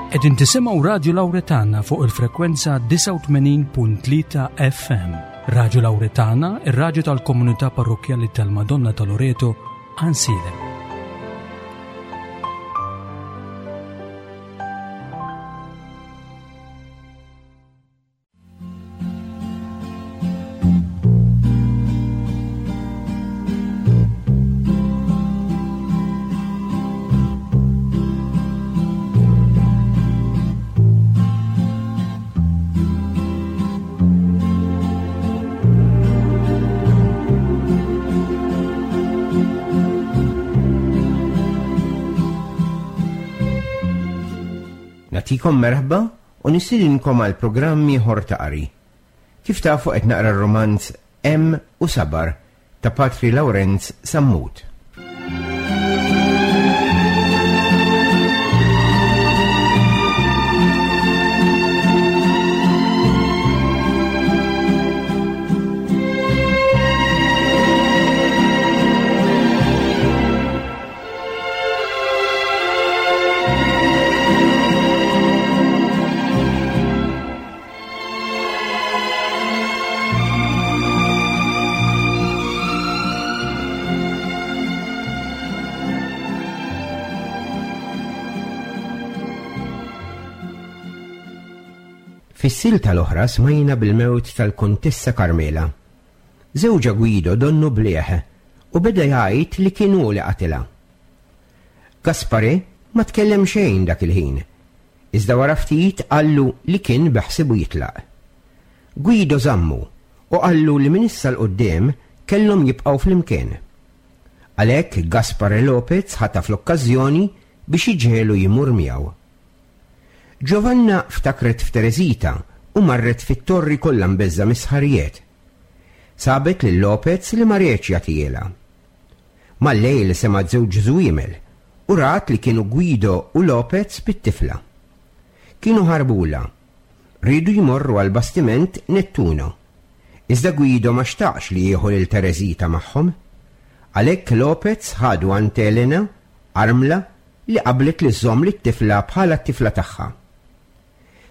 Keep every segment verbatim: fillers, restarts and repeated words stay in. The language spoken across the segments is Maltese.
Qegħdin tisimgħu Radio Lauretana fuq il-frekwenza disgħa u tmenin punt tlieta F M. Radio Lauretana, ir-radju tal-komunità parrokjali tal-Madonna ta' Loreto, Għajnsielem. Nagħtikom merħba u nistedinkom għal programm ieħor ta' qari. Kif tafu, qed naqra r-romanz Hemm u Sabar ta' Patri Lawrenz Sammut. Fis-silta l-oħra smajna bil-mewt tal-Kontessa Carmela. Żewġha Guido donnu blieh u beda jgħid li kien hu li qatilha. Gaspare ma tkellem xejn dak il-ħin, iżda wara ftit qallu li kien beħsibu jitlaq. Guido żammu u qallu li minn issa 'l quddiem kellhom jibqgħu flimkien. Għalhekk Gaspare Lopez ħataf l-okkażjoni biex iġegħlu jmur miegħu. Giovanna ftakret f'Teresita u marret fit-torri kollha mbeżżgħa mis-sħarijiet. Sabet lil Lopez li ma riedx jagħtihielha. Mal-lejl semgħet żewġ żwiemel u rat li kienu Guido u Lopez bit-tifla. Kienu ħarbula. Riedu jmorru għal bastiment Nettuno. Iżda Guido ma xtaqx li jieħu lil Teresita magħhom. Għalhekk Lopez ħadu għand Elena, armla, li qablet li żżomm lit-tifla bħala t-tifla tagħha.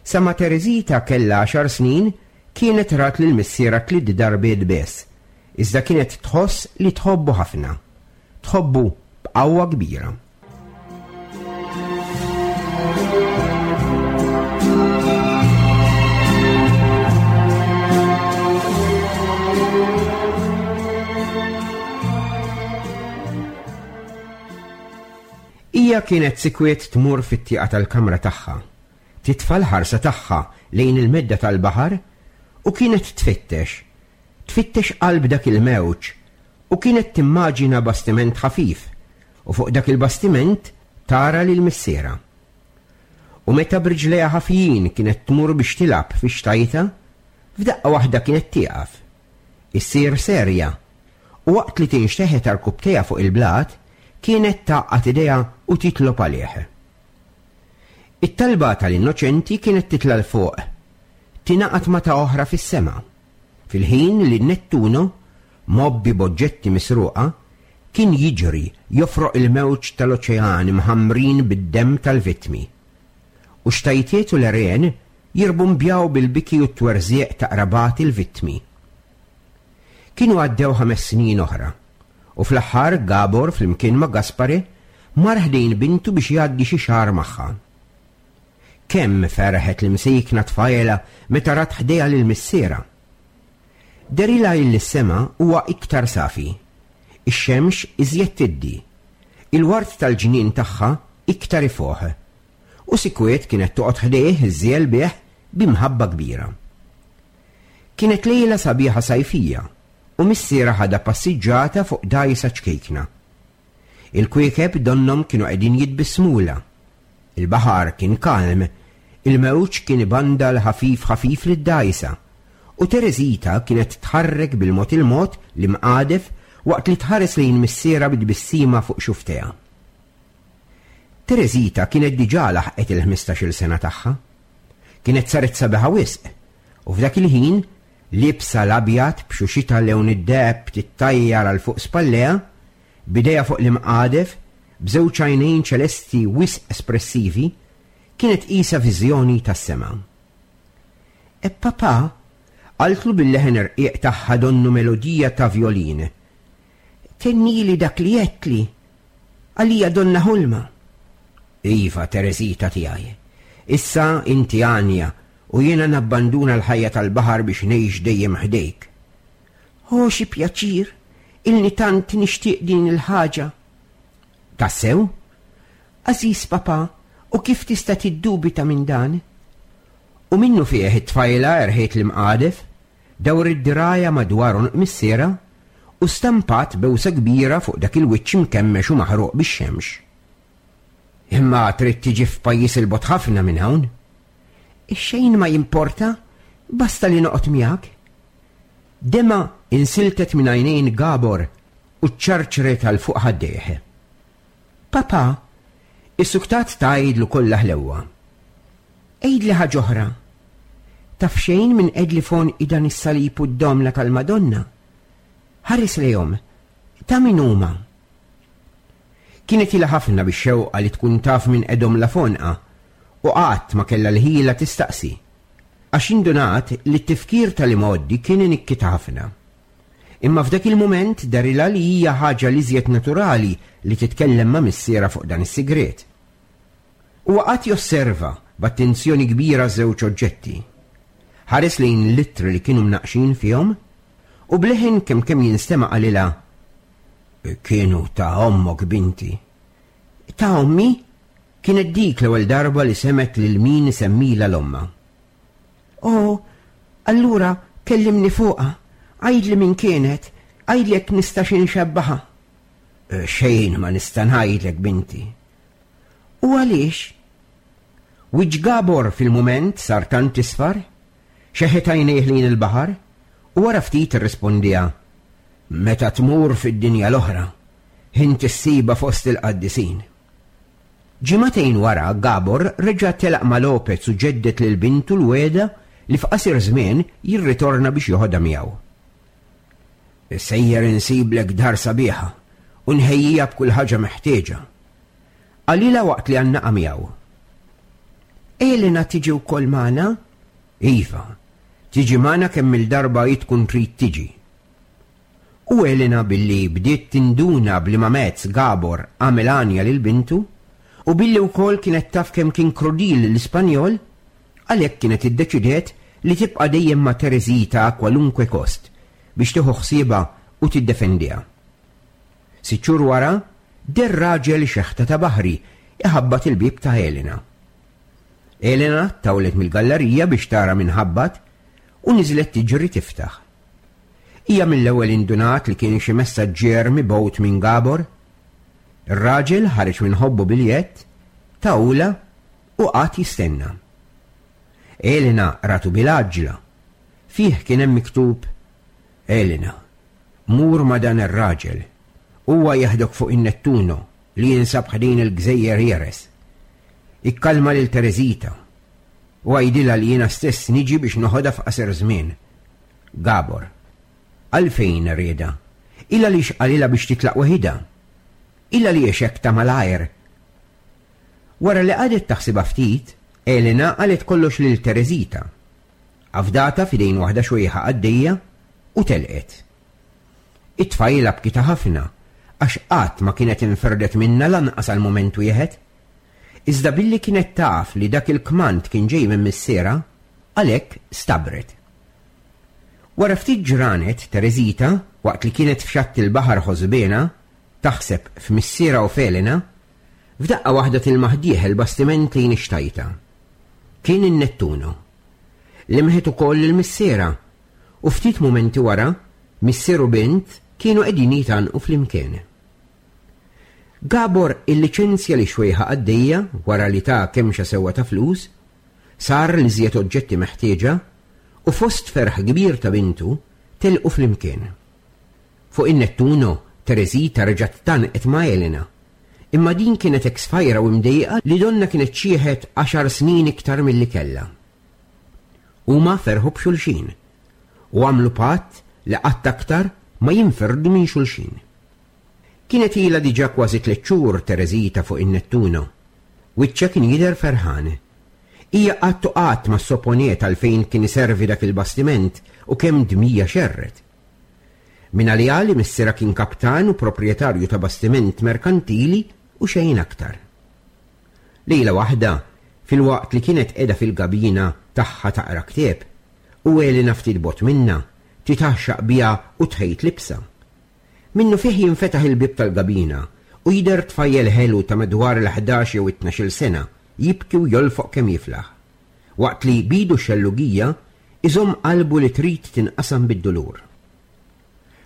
Sa ma Teresita kella għaxar snin kienet rat lil missierha tliet darbiet biss, iżda kienet tħoss li tħobbu ħafna. Tħobbu b'qawwa kbira. Hija kienet sikwiet tmur fit-tieqa tal-kamra tagħha, titfa' l-ħarsa tagħha lejn il-medda tal-baħar u kienet tfittex, tfittex qalb dak il-mewġ u kienet timmaġina bastiment ħafif u fuq dak il-bastiment tara lil missierha. U meta b'riġlejha ħafjin kienet tmur biex tilgħab fi xtajta, f'daqqa waħda kienet tieqaf. Issir serja u waqt li tinxteħet għarkupptejha fuq il-blat, kienet tgħaqqad idejha u titlob għalih. It-talba tal-innoċenti kienet titla' 'l fuq, tingħaqad ma' ta' oħra fis-sema. Fil-ħin li Nettuno, mgħobbi b'oġġetti misruqa, kien jiġri jofroq il-mewġ tal-oċean mħammrin bid-dem tal-vittmi. U xtajtiet u l-għerien jirbumbjaw bil-biki u t-twerżieq ta' qrabati l-vittmi. Kienu għaddew ħames snin oħra, u fl-aħħar Gabor flimkien ma' Gaspare mar ħdejn bintu biex jgħaddi xi xahar magħha. Kemm ferħet l-imsejkna tfajla meta rat ħdejha lil missierha. Dehrilha li s-sema huwa iktar safi, ix-xemx iżjed tiddi, il-ward tal-ġnien tagħha iktar ifoħ, u sikwiet kienet toqgħod ħdejh iżżejjel bih b'imħabba kbira. Kienet lejla sabiħa sajfija u missierha ħadha passiġġata fuq dgħajsa ċkejkna. Il-kwiekeb donnhom kienu qegħdin jitbissmulha. Il-baħar kien kalm, il-mewġ kien ibandal ħafif ħafif lid-dgħajsa, u Teresita kienet tħarrek bil-mod il-mod l-imqadef waqt li tħares lejn missierha bit-tbissima fuq xufftejha. Teresita kienet diġà laħqet il-ħmistax-il sena tagħha. Kienet saret sabiħa wisq, u f'dak il-ħin liebsa l-abjad b'xuxita lewn id-deheb tittajjar għal fuq spallejha, b'idejha fuq l-imqadef, b'żewġ għajnejn ċelesti wisq espressivi, Kienet qisha viżjoni tas-sema. E papà, qaltlu bil-leħen irqiq tagħha donnu melodija ta' violin. Tennili dak li għedtli, għalija donna ħolma. Iva, Teresita tiegħi, issa inti għanja u jiena nabbanduna l-ħajja tal-baħar biex ngħix dejjem ħdejk. Oh, xi pjaċir, ilni tant nixtieq din il-ħaġa. Tassew? Għażiż papà, u kif tista' tiddubita minn dan? U minnu fih it-tfajla erħiet l-imqadef, dawret dirgħajha madwar għonq missierha u stampat bewsa kbira fuq dak il-wiċċ mkemmex u maħruq bix-xemx. Imma trid tiġi f'pajjiż 'il bogħod ħafna minn hawn. Xejn ma jimporta, basta li noqgħod miegħek. Dema insiltet minn għajnejn Gabor u ċarċret għal fuq ħaddejh. Papà, issuktat tgħidlu kollha ħlewwa. Għidli ħaġa oħra. Taf xejn min qegħedli f'għonqi dan is-salib u d-domna tal-Madonna? Ħares lejhom, ta' min huma? Kienet ilha ħafna bix-xewqa li tkun taf min qegħedhomlha f'għonqha u qatt ma kellha l-ħila tistaqsi. Għax indunat li t-tifkir tal-imgħoddi kien inikkitha ħafna. Imma f'dak il-mument dehrilha li hija ħaġa l-iżjed naturali li titkellem ma' missierha fuq dan is-sigriet. U qagħad josserva b'attenzjoni kbira żewġ oġġetti. Ħares lejn l-ittri li kienu mnaqxin fihom u b'leħen kemm kemm jinstema' qalilha: Kienu ta' ommok, binti. Ta' ommi? Kienet dik l-ewwel darba li semgħet lil min isemmilha l-omma. Oh, allura kellimni fuqha, għidli min kienet, għidli jekk nistax inxebbaha. Xejn ma nista' ngħidlek, binti. U għaliex? Wiċċ Gabor fil-mument sar tant isfar, xeħet għajnejh lejn il-baħar, u wara ftit irrispondiha: Meta tmur fid-dinja l-oħra, inti ssibha fost il-qaddisin. Ġimagħtejn wara Gabor reġa' telaq ma' Lopez u ġeddet lil bintu l-wegħda li f'qasir żmien jirritorna biex joħodha miegħu. Sejjer insiblek dar sabiħa u nħejjija b'kull ħaġa meħtieġa. Qalilha waqt li għannaqa miegħu. Elena tiġi wkoll magħna? Iva, tiġi magħna kemm il-darba hi tkun trid tiġi. U Elena billi bdiet tinduna b'liema mezz Gabor għamel għanja lil bintu, u billi wkoll kienet taf kemm kien krudil l-Ispanjol, għalhekk kienet iddeċidiet li tibqa' dejjem ma' Teresita a kwalunkwe kost biex tieħu ħsiebha u tiddefendiha. Sitt xhur wara, deher raġel xeħta ta' baħri iħabbat il-bieb ta' Elena. Elena tawlet mill-gallerija biex tara min ħabbat u niżlet tiġri tiftaħ. Hija mill-ewwel indunat li kien xi messaġġier mibgħut minn Gabor. Ir-raġel ħareġ minn ħobbu biljett, tawla u qagħad jistenna. Elena ratu bil-għaġla. Fih kien hemm miktub: Elena, mur ma' dan ir-raġel. Huwa jeħdok fuq in-Nettuno li jinsab ħdejn il-Gżejjer Jeres. Ikkalma lil Teresita u għidilha li jiena stess niġi biex noħodha f'qasir żmien. Gabor. Għalfejn rieda? Illa li xqalilha biex titlaq waħidha? Illa li hekk ta' malajr? Wara li qagħdet taħsibha ftit, Elena qalet kollox lil Teresita. Afdata f'idejn waħda xwejħa għaddejja u telqet. It-tfajla bkita ħafna għax qatt ma kienet inferdet minna lanqas għal mument wieħed. Iżda billi kienet taf li dak il-kmand kien ġej minn missierha, għalhekk stabret. Wara ftit ġranet, Teresita, waqt li kienet f'xatt il-baħar ħosbiena, taħseb f'missierha u f'Elena, f'daqqa waħda tilmaħ dieħel bastiment lejn ix-xtajta. Kien in-Nettuno. Lemħet ukoll il-missierha u ftit mumenti wara, missier u bint kienu qegħdin jitgħannqu flimkien. Gabor illiċenzja li xwejħa għaddejja wara li ta' kemxa sewwa ta' flus, sar li żjed oġġetti meħtieġa u fost ferħ kbir ta' bintu telqu flimkien. Fuq in-Nettuno, Teresita reġgħet tgħannqet ma' Elena, imma din kienet eksfajra u mdejqa li donna kienet xieħet għaxar snin iktar milli kellha. Huma ferħu b'xulxin u għamlu patt li qatt aktar ma jinferdu minn xulxin. Kienet ilha diġà kważi tliet xhur Teresita fuq in-Nettuno. Wiċċha kien jidher ferħan. Hija qatt u qatt ma sopponiet għalfejn kien iservi dak il-bastiment u kemm dmija xerret. Min għaliha li missierha kien kaptan u proprjetarju ta' bastiment merkantili u xejn aktar. Lejla waħda, filwaqt li kienet qiegħda fil-gabina tagħha taqra ktieb, u Elena ftit bogħod minnha, titgħaxxaq biha u tħejt libsa. Minnufih jinfetaħ il-bieb tal-gabina u jidher tfajjel ħelu ta' madwar l-ħdax jew it-tnax-il sena jibki u jolfoq kemm jiflaħ, waqt li bidu xellugija iżomm qalbu li trid tinqasam bid-dulur.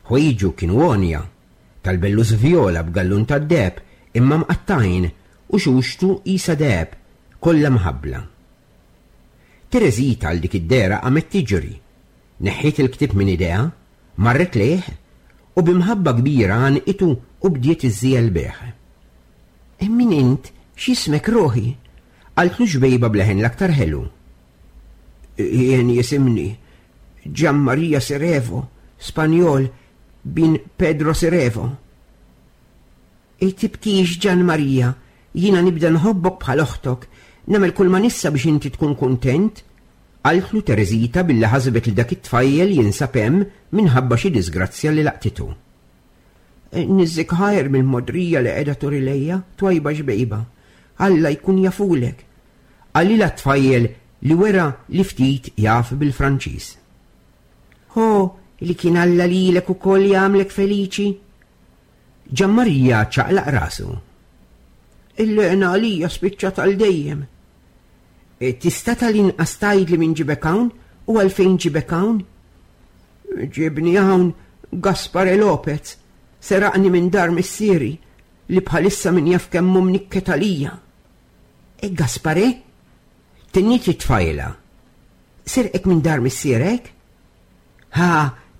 Ħwejġu kienu għonja, tal-bellus vjola b'gallun tad-deheb imma mqattajn u xuxtu qisha deheb kollha mħabbla. Tereżita għal dik id-dehra qamet tiġri, neħħiet il-ktieb minn idejha, marret lejh u b'imħabba kbira għanqitu u bdiet iżżiegħel bih. Min int? X'ismek ruħi? Qaltlu xbejba bleħen l-aktar ħelu. Jien jisimni Gian Maria Sirevo, Spanjol, bin Pedro Sirevo. E tibkix Gian Maria, jiena nibda nħobbok bħal oħtok, nagħmel kull ma nista' biex inti tkun kuntent, qaltlu Tereżita billi ħasbet li dak it-tfajjel jinsab hemm minħabba xi disgrazzja li laqtitu. Niżżik ħajr mill-modrija li qiegħda turi lejja, twajba xbejba. Alla jkun jafulek. Qalilha t-tfajjel li wera li ftit jaf bil-Franċiż. Ho, li kien Alla lilek ukoll jagħmlek feliċi. Gian Maria ċaqlaq rasu. Il-lena għalija spiċċat għal dejjem. E, tista' tal-inqas tgħidli min ġibek hawn u għalfejn ġibek hawn? Ġibni hawn Gaspare Lopez, seraqni minn dar missieri li bħalissa min jaf kemm hu mnikket għalija. E Gaspare? Tenniet it-tfajla. Serqek minn dar missierek? Ha,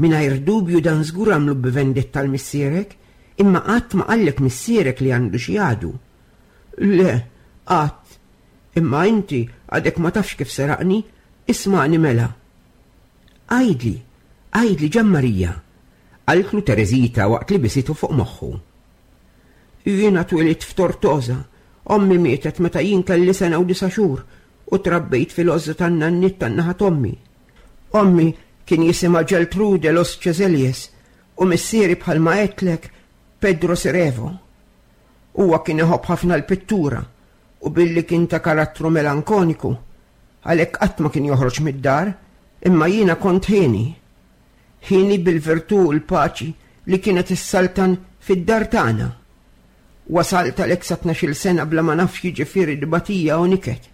mingħajr dubju dan żgur għamlu b'vendetta għal missierek, imma qatt ma qallek missierek li għandu xi għadu. Le, qatt. Imma inti għadek ma tafx kif seraqni, isma'ni mela. Għidli, għidli Gian Maria, qaltlu Tereżita waqt li bisitu fuq moħħu. Jiena twelidt f'Tortosa, ommi mietet meta jien kelli sena u disa' xhur u trabbejt fil-għożża tan-nanniet tan-naħa t'ommi. Ommi kien jisimha Geltrude Los Ceselies u missieri bħalma għedtlek Pedro Sirevo. Huwa kien iħobb ħafna l-pittura u billi kien ta' karattru melankoniku, għalhekk qatt ma kien joħroġ mid-dar, imma jiena kont ħieni. Ħieni bil-virtù u l-paċi li kienet issaltan fid-dar tagħna. Wasalt għalhekk sa tnax-il sena bla ma nafx jiġifieri dbatija u niket.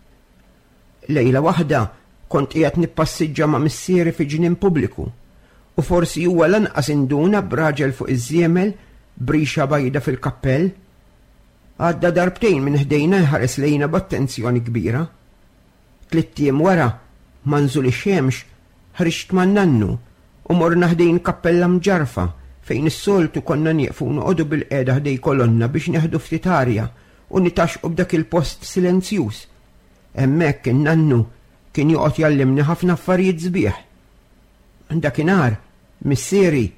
Lejla waħda kont qiegħed nippassiġġa ma' missieri fi ġnien pubbliku u forsi huwa lanqas induna b'raġel fuq iż-żiemel b'rixa bajda fil-kappell. Għadda darbtejn minn ħdejna jħares lejna b'attenzjoni kbira. Tlitt ijiem wara, ma nżul ix-xemx, ħriġt ma' nannu u morna ħdejn kappella mġarfa fejn is-soltu konna nieqfu noqogħdu bil-qiegħda ħdej kolonna biex neħdu ftit arja u nitaxqu b'dak il-post silenzjuż. Hemmhekk in-nannu kien joqgħod jallimni ħafna affarijiet sbieħ. Dakinhar, missieri,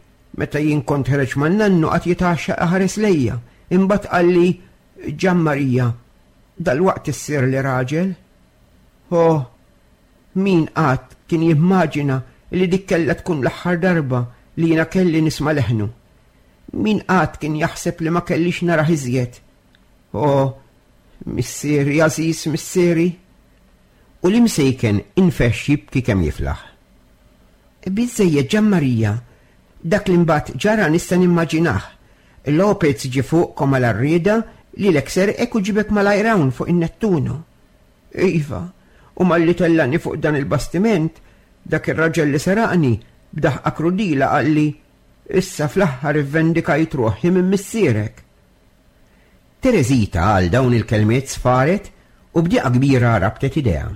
meta jien kont ħereġ man-nannu qatt jitgħaxxaq iħares lejja, imbagħad qalli Gian Maria, dal-waqt issir li raġel. Oh, min qatt kien jimmaġina li dik kellha tkun l-aħħar darba li jiena kelli nisma' leħnu. Min qatt kien jaħseb li ma kellix narah iżjed. Oh, missieri, għażiż missieri. U l-imsejken infexx jibki kemm jiflaħ. Biżżejjed Gian Maria, dak li mbagħad ġara nista' nimmaġinah. Lopez ġie fuqkom għal arrieda li lek serqek u ġibek malajr hawn fuq in-Nettuno. Iva, u malli tellani fuq dan il-bastiment, dak ir-raġel li seraqni b'daħqa krudila qalli, issa fl-aħħar ivvendikajt ruħi minn missierek. Tereżita għal dawn il-kelmiet sfaret u b'diqa kbira rabtet idea.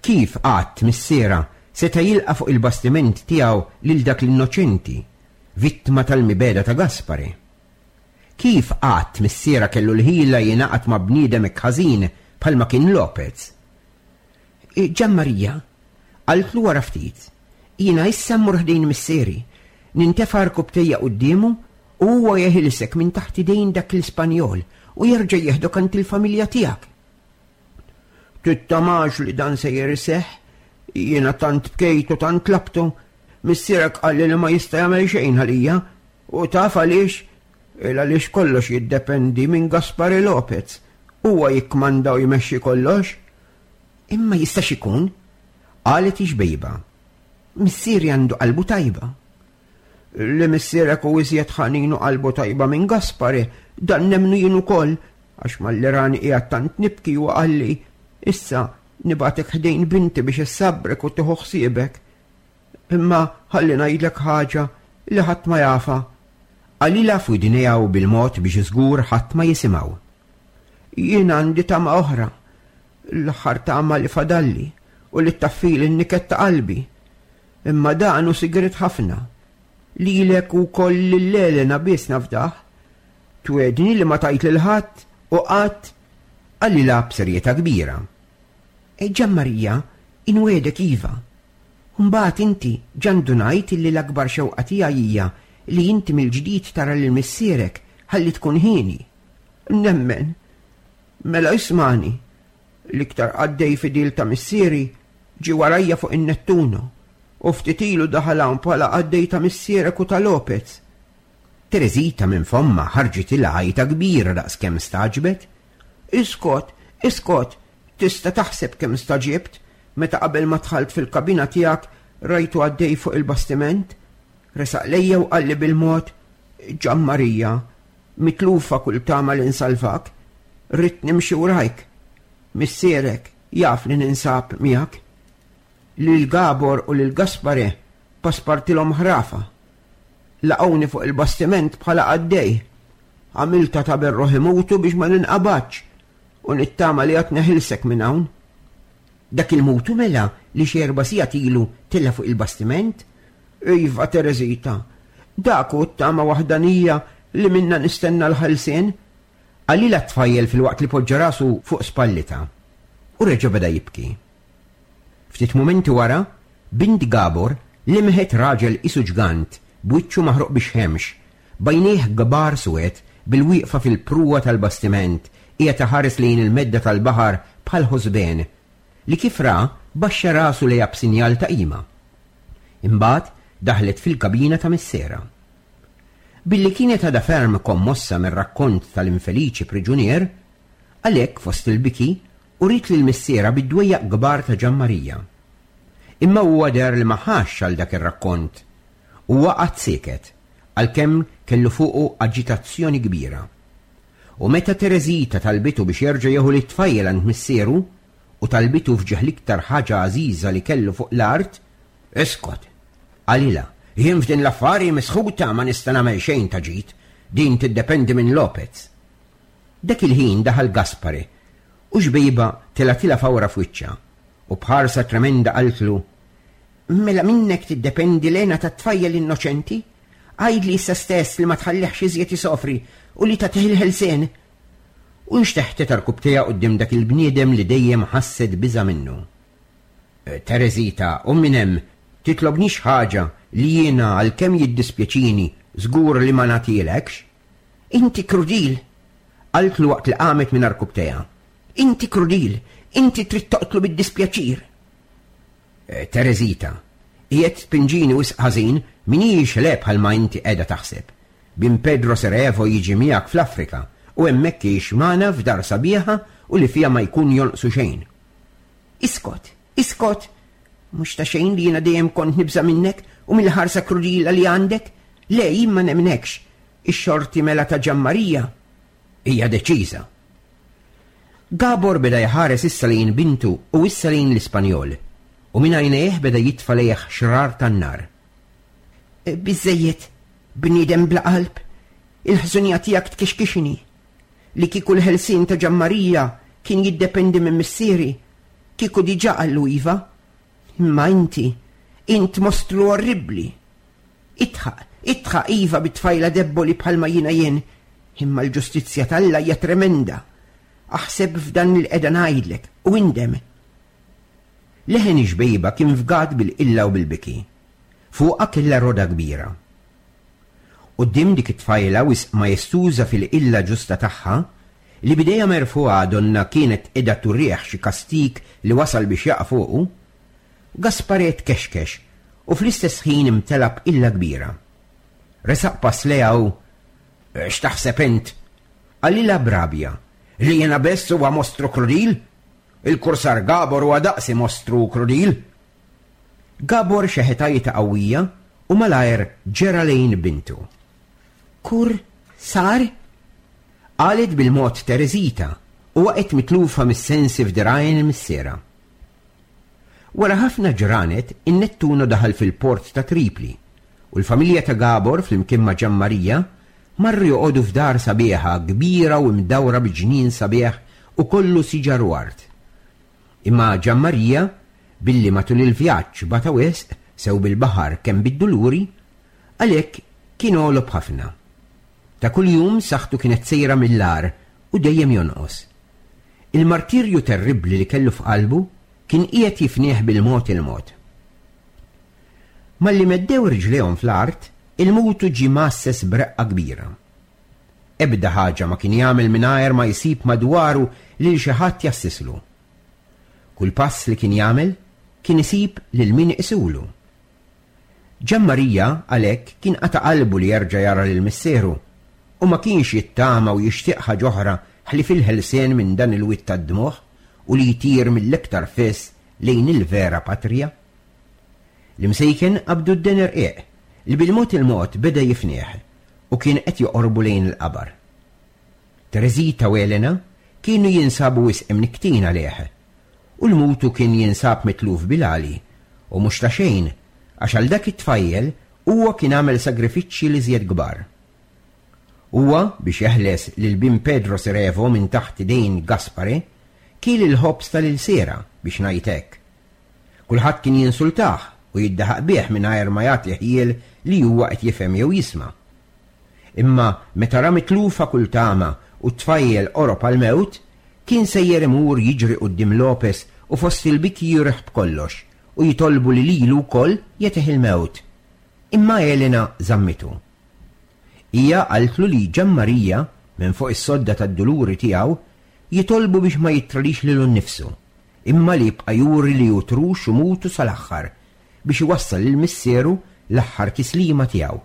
Kif qatt missiera seta' jilqa' fuq il-bastiment tiegħu lil dak l-innoċenti, vittma tal-mibegħda ta' Gaspare? Kif qatt missiera kellu l-ħila jingħaqad ma' bniedem hekk ħażin bħalma kien Lopez? Gian Maria, qaltlu wara ftit, jiena issa mmur ħdejn missieri, nintefa' rkubtejja quddiemu u huwa jeħilsek minn taħt idejn dak l-Ispanjol u jerġa' jieħdok għand il-familja tiegħek. Tittamax li dan sejjer iseħħ, jiena tant bkejt u tant tlabtu, missierek qalli li ma jista' jagħmel xejn għalija, u taf għaliex, il għaliex kollox jiddependi minn Gaspare Lopez. Huwa jikkmanda u jmexxi kollox. Imma jistax ikun, qalet ix-xbejba. Missieri għandu qalbu tajba. Li missierek hu iżjed ħanin u qalbu tajba minn Gaspare, dan nemmnu jien ukoll, għax malli rani qiegħed tant nibki u qalli, issa nibgħatek ħdejn binti biex issabbrek u tieħu ħsiebek. Imma ħalli ngħidlek ħaġa li ħadd ma jafha. Qalilha f'widnejha u bil-mod biex żgur ħadd ma jisimgħu. Jien għandi tama oħra, l-aħħar tama li fadalli u li taffili n-niket ta' qalbi. Imma dan hu sigriet ħafna. Lilek u koll lil Elena biss nafdah. Twegħedni li ma tgħid lil ħadd u qatt, qalilha b'serjetà kbira. E Ġanmarija, inwiegħdek iva. Mbagħad inti ġa ndunajt illi l-akbar xewqa tiegħi hija li inti mill-ġdid tara lil missierek ħalli tkun hieni. Nemmen. Mela ismani. L-iktar qaddej fidil ta' missieri ġie warajja fuq in-Nettuno u ftit ilu daħal hawn bħala qaddej ta' missierek u ta' Lopez. Teresita minn fommha ħarġitilha għajta kbira daqskemm stagħġbet. Iskot, iskot, tista' taħseb kemm stagħġibt meta qabel ma dħalt fil-kabina tiegħek rajtu għaddej fuq il-bastiment. Resaq lejja u qalli bil-mod, Ġanmarija, mitlufa kull tama li nsalvak, rrid nimxi warajk. Missierek jaf li ninsab miegħek. Lil Gabor u lil Gaspare paspartilhom ħrafa. Laqgħuni fuq il-bastiment bħala qaddej. Għamilta ta' berruħ imutu biex ma ninqabadx u nittama li għad neħilsek minn hawn. Dak il-mutu mela li xi erba' sigħat ilu tella' fuq il-bastiment? Iva, Teresita, dak hu t-tama waħdanija li minna nistenna l-ħelsien. Qalilha t-tfajjel fil-waqt li poġġa rasu fuq spallita u reġa' beda jibki. Ftit mumenti wara, bint Gabor limħet raġel isu ġgant b'wiċċu maħruq bix-xemx, b'għajnejh kbar suwed bil-wieqfa fil-pruwa tal-bastiment qiegħed iħares lejn il-medda tal-baħar bħal ħosbien, li kif ra baxxa rasu lejha b'sinjal ta' qima. Imbagħad daħlet fil-kabina ta' missierha. Billi kienet għadha ferm kommossa mir-rakkont tal-infeliċi priġunier, għalhekk fost il-biki uriet lil missierha bid-dwejjaq kbar ta' Ġanmarija. Imma huwa deher li ma ħax għal dak ir-rakkont. Huwa qatt sieket, għalkemm kellu fuqu aġitazzjoni kbira. U meta Teresita talbitu biex jerġa' jieħu lit-tfajjel għand missieru u talbitu f'ġieħ l-iktar ħaġa għażiża li kellu fuq l-art, iskot, qalilha, jien f'din l-affari misħuta ma nista' nagħmel xejn ta' ġid, din tiddependi minn Lopez. Dak il-ħin daħal Gaspare u xbejba telatilha fawra f'wiċċha u b'ħarsa tremenda qaltlu, mela minnek tiddependi l-hena tat-tfajjel innoċenti? Għidli issa stess li ma tħallihx iżjed isofri u li tagħtih il-ħelsien. U nxteħtet rkubtejha quddiem dak il-bniedem li dejjem ħasset biża' minnu. Teresita, u minn hemm titlobnix ħaġa li jiena għalkemm jiddispjaċini żgur li ma nagħtilekx. Inti krudil, qaltlu waqt li qamet minn rkubtejha. Inti krudil, inti trid toqtlu bid-dispjaċir. Teresita, qiegħed tpinġini wisq ħażin minix le bħalma inti qiegħda taħseb. Bin Pedro Serevo jiġi miegħek fl-Afrika u hemmhekk jgħix magħna f'dar sabiħa u li fiha ma jkun jonqsu xejn. Iskot, iskot, mhux ta' xejn li jiena dejjem kont nibża' minnek u mill-ħarsa krudila li għandek. Le, jien ma nemnekx. Ix-xorti mela ta' Ġanmarija hija deċiża. Gabor beda jħares issa lejn bintu u issa lejn l-Ispanjol, u minn għajnejh beda jitfa' lejh xrar tan-nar. Biżżejjed, bniedem bla qalb, il-ħżunija tiegħek tkixkixni. Li kieku l-ħelsien ta' Ġanmarija kien jiddependi minn missieri, kieku diġà qallu iva. Imma inti, int mostru orribbli. Itħaq, itħaq iva bit-tfajla debboli bħalma jiena jien, imma l-ġustizzja t'Alla hija tremenda. Aħseb f'dan li qiegħda ngħidlek u indem. Leħen ix-xbejba kien fgat bil-qilla u bil-biki. Fuqha kellha roda kbira. Quddiem dik it-tfajla wisq majestuża fil-qilla ġusta tagħha, li b'idejha merfugħa donnha kienet qiegħda turih xi kastig li wasal biex jaqa' fuqu, Gaspare tkexkex u fl-istess ħin imtela b'qilla kbira. Resaq pass lejha u "X'taħseb int?" qalilha b'rabja. "Li jiena biss huwa mostru krudil? Il-kursar Gabor huwa daqsi mostru krudil." Gabor xeħet għajta qawwija u malajr ġera lejn bintu. "Kur sar?" qalet bil-mod Tereżita u waqgħet mitlufa mis-sensi f'dirgħajn missierha. Wara ħafna ġranet, in-Nettuno daħal fil-port ta' Tripli u l-familja ta' Gabor flimkien ma' Ġanmarija marru joqogħdu f'dar sabiħa kbira u mdawra bi ġnien sabiħ u kollu siġar u art. Imma Ġanmarija, billi matul il-vjaġġ bata wisq sew bil-baħar kemm bid-duluri, għalhekk kien għolob ħafna. Ta' kuljum saħħtu kienet sejra mill-agħar u dejjem jonqos. Il-martirju terribbli li kellu f'qalbu kien qiegħed jifnieh bil-mod il-mod. Malli meddew riġlejhom fl-art, il-mutu ġie mgħasses b'reqqa kbira. Ebda ħaġa ma kien jagħmel mingħajr ma jsib madwaru lil xi ħadd jassislu. Kull pass li kien jagħmel kien isib lil min iqisulu. Ġanmarija għalhekk kien qata' qalbu li jerġa' jara lil missieru u ma kienx jittama u jixtieq ħaġa oħra ħlief il-ħelsien minn dan il-wied tad-dmugħ u li jtir mill-iktar fis lejn il-vera patrija. L-imsejken qabdu d-deni rqiq li bil-mod il-mod beda jifnieh u kien qed joqorbu lejn il-qabar. Tereżita u Elena kienu jinsabu wisq imnikktin għalih u l-mutu kien jinsab mitluf bil-għali u mhux ta' xejn għax għal dak it-tfajjel huwa kien għamel sagrifiċċji li żjed kbar. Huwa biex jeħles lil bin Pedro Sirevo minn taħt idejn Gaspare kiel il-ħobż tal-ilsiera biex ngħid hekk. Kulħadd kien jinsultah u jiddaħaq bih mingħajr ma jagħti ħjiel li huwa qed jifhem jew jisma'. Imma meta ra mitlufa kull tama u t-tfajjel qorob għall-mewt, kien sejjer imur jiġri quddiem Lopez u fost il-biki jurih b'kollox u jitolbu li lilu wkoll jagħtih il-mewt. Imma Elena żammitu. Hija qaltlu li Ġanmarija minn fuq is-sodda tad-duluri tiegħu jitolbu biex ma jitralix lilu nnifsu, imma li jibqa' juri li hu trux u mutu sal-aħħar biex iwassal lil missieru l-aħħar tislima tiegħu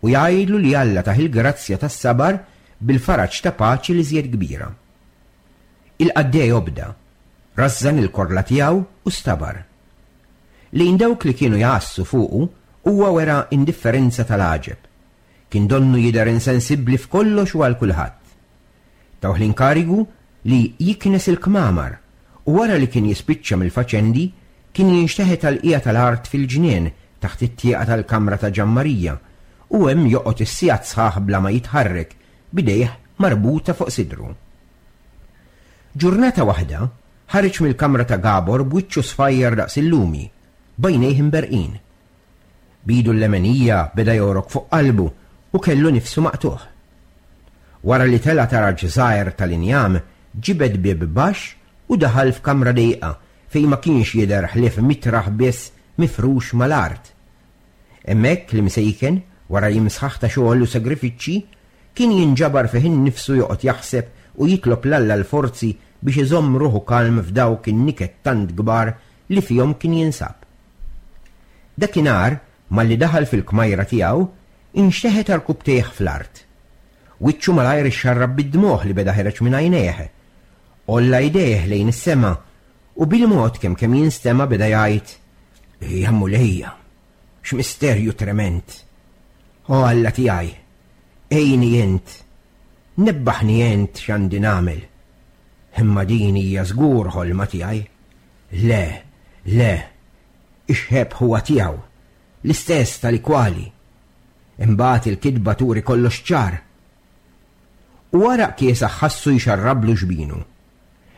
u jgħidlu li Alla tah il-grazzja tas-sabar bil-faraġ ta' paċi li żjed kbira. Il-qaddej obda, rażżan il-korla tiegħu u stabar. Lejn dawk li kienu jgħassu fuqu huwa wera indifferenza tal-għaġeb. Kien donnu jidher insensibbli f'kollox u għal kulħadd. Tawh l-inkarigu li jiknes il-kmamar u wara li kien jispiċċa mill-faċendi kien jinxteħet għall-qiegħa tal-art fil-ġnien taħt it-tieqa tal-kamra ta' Ġanmarija u hemm joqgħod is-sigħat sħaħ bla ma jitħarrek b'idejh marbuta fuq sidru. Ġurnata waħda ħareġ mill-kamra ta' Gabor b'wiċċu sfajjar daqs il-lumi, b'għajnejh imberqin. B'idu l-lemenija beda jorok fuq qalbu u kellu nifsu maqtuħ. Wara li tela' taraġ żgħir tal-injam, ġibed bieb baxx u daħal f'kamra dejqa fejn ma kienx jidher ħlief mitraħ biss mifrux mal-art. Hemmhekk l-imsejken, wara jiem sħaħ ta' xogħol u sagrifiċċji, kien jinġabar fih innifsu joqgħod jaħseb u jitlob 'l Alla l-forzi biex iżomm ruħu kalm f'dawk in-niket tant kbar li fihom kien jinsab. Dakinhar, malli daħal fil-kmajra tiegħu, inxteħet għarkupptejh fl-art. Wiċċu malajr ixxarrab bid-dmugħ li beda ħereġ minn għajnejh. Għolla jdejh lejn is-sema u bil-mod kemm kemm jinstema' beda jgħid: Ja Mulejja, x'misterju trement! O Alla tiegħi, għinni int, nebbaħni int x'għandi nagħmel. Imma din hija żgur ħolma tiegħi. Le, le, ix-xebh huwa tiegħu, l-istess tal-ikwali. Imbagħad il-kitba turi kollox ċar. U għaraq kiesaħ ħassu jxarrablu xbinu.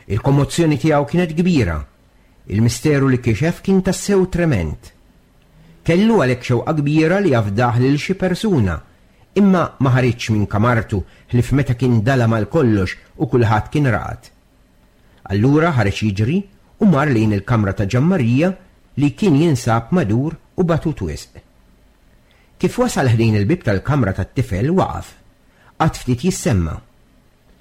Il-kommozzjoni tiegħu kienet kbira. Il-misteru li kixef kien tassew trement. Kellu għalhekk xewqa kbira li jafdah lil xi persuna, imma ma ħariġx minn kamartu ħlief meta kien dalam għal kollox u kulħadd kien raqad. Allura ħareġ jiġri u mar lejn il-kamra ta' Ġanmarija li kien jinsab madur u batut wisq. Kif wasal ħdejn il-bieb tal-kamra tat-tifel waqaf, qatt ftit jissemma.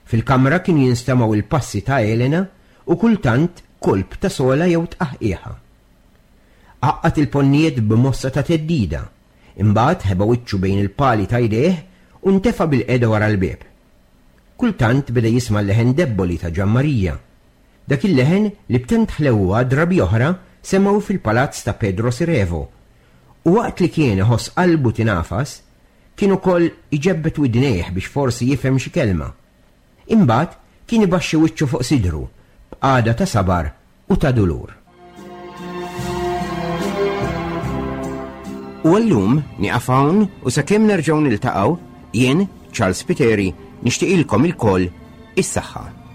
Fil-kamra kienu jinstemgħu il-passi ta' Elena u kultant kolp ta' sola jew tqaħqiħa. Għaqqad il-ponnijiet b'mossa ta' theddida, imbagħad ħeba wiċċu bejn il-pali ta' jdejh u ntefa' bilqiegħda wara l-bieb. Kultant beda jisma' l-leħen debboli ta' Ġanmarija. Dak il-leħen li b'tant ħlewwa drabi oħra semgħu fil-palazz ta' Pedro Sirevo. U waqt li kien iħoss qalbu tingħafas, kien ukoll iġebbet widnejh biex forsi jifhem xi kelma. Imbagħad kien ibaxxi wiċċu fuq sidru b'qagħda ta' sabar u ta' dulur. U għallum nieqaf hawn u sakemm nerġgħu niltaqgħu, jien, Charles Spiteri, nixtieqilkom ilkoll is-saħħa.